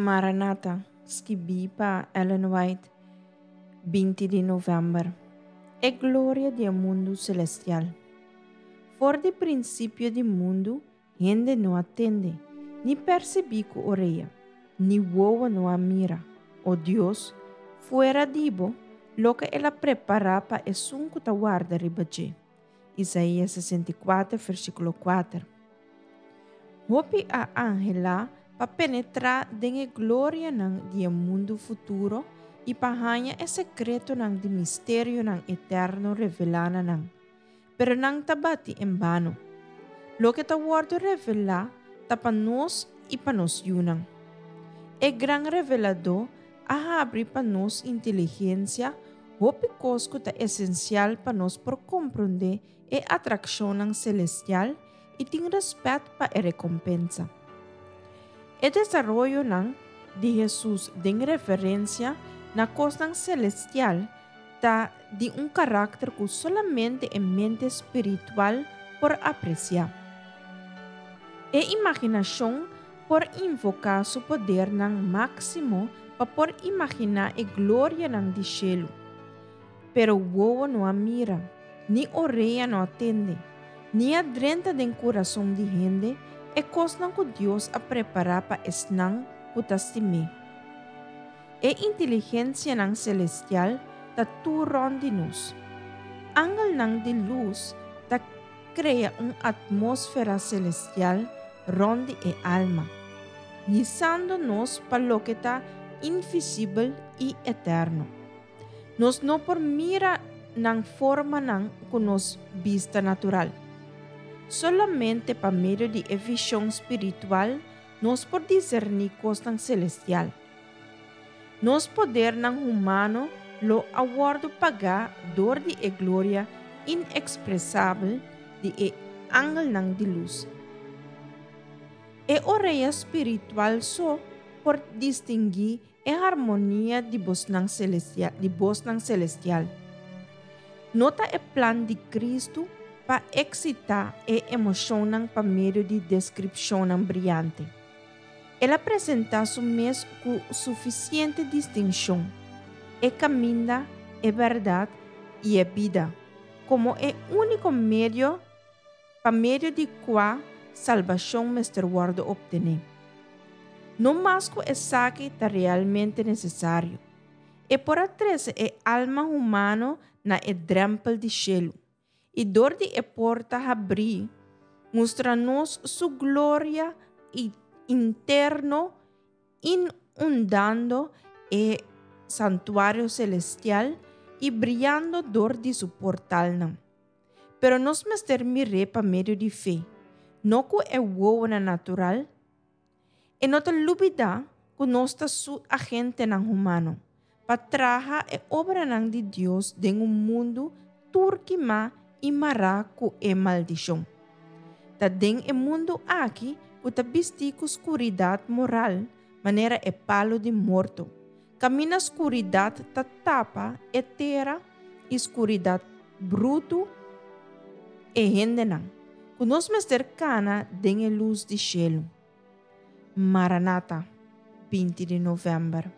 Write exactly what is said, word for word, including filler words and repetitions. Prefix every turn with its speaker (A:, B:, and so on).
A: Maranata, skibí pa Ellen White, binti di novèmber. E gloria di e mundu selestial. For di prinsipio di mundu, hende no a tende, ni persibí ku orea, ni wowo no a mira, o Dios, fuera di bo, loke El a prepará pa esun ku ta warda riba dje. Isaías sesenta i kuater, versíkulo kuater. Hopi a anhelá pa penetrá den e glorianan di e mundu futuro i pa haña e sekretonan di misterionan eterno revelá na nan. Pero nan ta bati en bano. Loke ta wòrdu revelá ta pa nos i pa nos yunan. E Gran Reveladó a habri pa nos inteligensia hopi kos ku ta esensial pa nos por komprondé e atrakshonnan selestial i tin rèspèt pa e rekompensa. E desaroyonan di Hesus den referensia na kosnan selestial ta di un karakter ku solamente e mente spiritual por apresiá. E imaginashon por invoká su podernan máksimo pa por imaginá e glorianan di shelu. Pero wowo no a mira, ni orea no a tende, ni a drenta den kurason di hende e kosnan ku Dios a prepará pa esnan ku ta stim'é. E inteligensianan selestial ta tur rònt di nos. Angelnan di lus ta krea un atmósfera selestial rònt di e alma, hisando nos pa loke ta invisibel i eterno. Nos no por mira nan formanan ku nos bista natural. Solamente pa medio di e vishon spiritual nos por diserní kosnan selestial. Nos podernan humano lo a wòrdu pagá dor di e gloria inekspresabel di e angelnan di lus. E orea spiritual so por distinguí e harmonia di bosnan selestial, di bosnan selestial. No ta e plan di Kristu pa eksitá e emoshonnan pa medio di deskripshonnan briante. El a presentá su mes ku sufisiente distinshon, e kaminda, e bèrdat i e bida, komo e úniko medio pa medio di kua salbashon mester wòrdu optené. No mas ku esaki ta realmente nesesario. E por a trese e alma humano na e drèmpel di shelu, i dor di e porta habrí, mustra nos su gloria interno inundando e santuario selestial i briando dor di su portalnan. Pero nos mester mir'é pa medio di fe, no ku e wowonan natural. E no ta lubidá ku nos ta su agentenan humano pa traha e obranan di Dios den un mundu tur kimá i mará ku e maldishon. Ta den e mundu aki ku ta bistí ku skuridat moral manera e palu di morto, kaminda skuridat ta tapa e tera i skuridat brutu e hendenan, ku nos mester kana den e lus di shelu. Maranata, binti di novèmber.